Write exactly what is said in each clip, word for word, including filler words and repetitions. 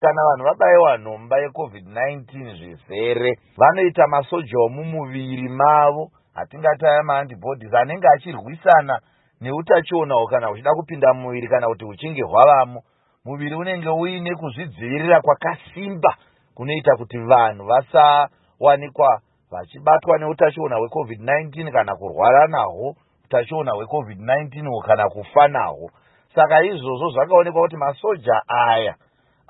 Kana vanhu vabayiwa nhomba yeCovid nineteen zvizere, vanoita masoja omumuviri mavo atingati aya maantibodies anenge achirwisana neutachiona kana huchida kupinda mumuviri kana kuti huchinge hwavamo. Muviri unenge uine kuzvidzivirira kwakasimba kunoita kuti vanhu vasawanikwa vachibatwa neutachiona hweCovid nineteen kana kurwara nahwo utachiona hweCovid nineteen kana kufa nahwo. Saka izvozvo zvakaonekwa kuti masoja aya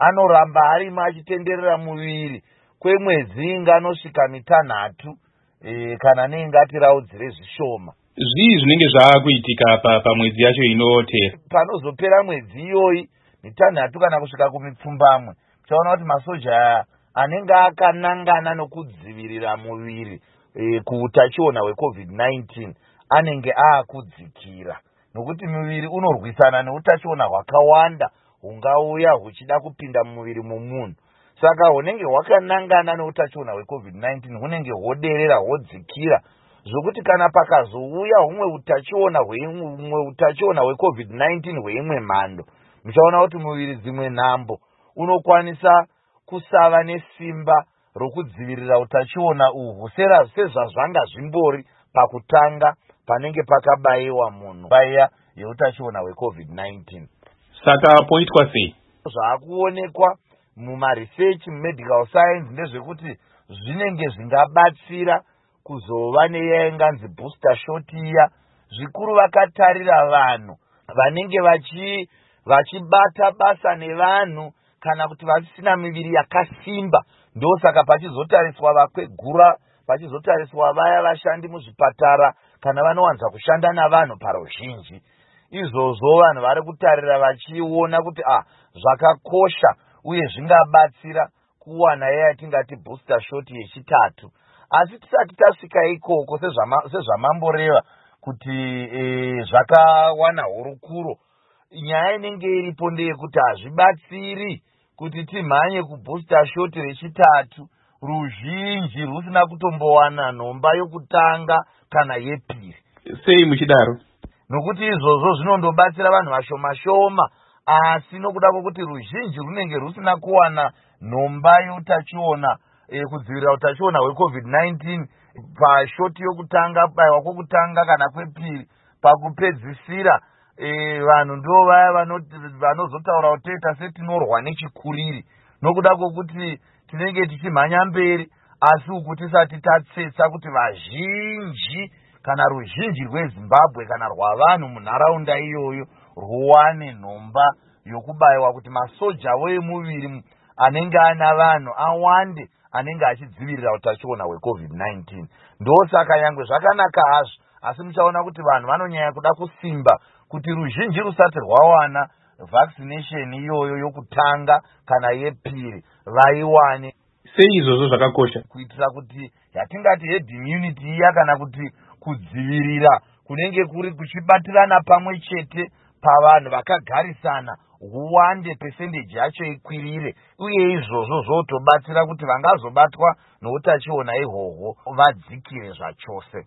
anoramba arimo achitenderera muviri kwemwedzi inganosvika mitanhatu, e, kana neingatiraudzire zvishoma. Zvii zvinenge zvaakuitika pamwedzi yacho inoteera? Panozopera mwedzi iyoyi mitanhatu kana kusvika kumipfumbamwe, tichaona kuti masoja aya anenge akanangana nokudzivirira muviri e, kuutachiona hweCovid nineteen anenge aakudzikira, nokuti muviri unorwisana neutachiona hwakawanda hungauya huchida kupinda mumuviri momunhu. Saka hunenge hwakanangana neutachiona hweCovid nineteen hunenge hwoderera, hwodzikira, zvokuti kana pakazouya humwe utachiona hweimwe utachiona hweCovid nineteen hweimwe mhando, muchaona kuti muviri dzimwe nhambo unokwanisa kusava nesimba rokudzivirira utachiona uhwu sezvazvanga zvimbori pakutanga panenge pakabayiwa munhu baiya yeutachiona hweCovid nineteen. Saka poitwa sei? Zvaakuonekwa mumaresearch mumedical science ndezvekuti zvinenge zvingabatsira kuzova neiya inganzi booster shot iya, zvikuru vakatarira vanhu vanenge vachi vachibata basa nevanhu kana kuti vasina miviri yakasimba. Ndosaka pachizotariswa vakwegura, pachizotariswa vaya vashandi muzvipatara kana vanowanza kushanda navanhu paruzhinji. Izvozvo vanhu vari kutarira vachiona kuti ah, zvakakosha uye zvingabatsira kuwana iya yatingati booster shot yechitatu. Asi tisati tasvika ikoko, sezvamamboreva kuti e, zvakawana hurukuro, nyaya inenge iripo ndeyekuti hazvibatsiri kuti timhanye kubooster shot rechitatu ruzhinji rusina kutombowana nhomba yokutanga kana yepiri. Sei muchidaro? Nokuti izvozvo zvinondobatsira vanhu vashoma shoma, asi nokuda kwokuti ruzhinji runenge rusina kuwana nhomba yeutachiona e, kudzivirira utachiona hweCovid nineteen pashoti yokutanga, kubayiwa kwokutanga kana kwepiri, pakupedzisira e, vanhu ndo vaya vanozotaura kuti toita setinorwa nechikuriri, nokuda kwokuti tinenge tichimhanya mberi asi uku tisati tatsetsa kuti vazhinji kana ruzhinji rweZimbabwe kana rwavanhu munharaunda iyoyo rwuwane nhomba yokubayiwa, kuti masoja avo emuviri anenge ana vanhu awande anenge achidzivirira utachiona hweCovid nineteen. Ndosaka nyangwe zvakanaka hazvo, asi muchaona kuti vanhu vanonyanya kuda kusimba kuti ruzhinji rusati rwawana vaccination iyoyo yokutanga kana yepiri vaiwane. Sei izvozvo zvakakosha? Kuitira kuti yatingati herd immunity iya, kana kuti kudzivirira kunenge kuri kuchibatirana pamwe chete pavanhu vakagarisana, huwande, pesendeji yacho ikwirire, uye izvozvo zvotobatsira kuti vangazobatwa noutachiona ihwohwo vadzikire zvachose.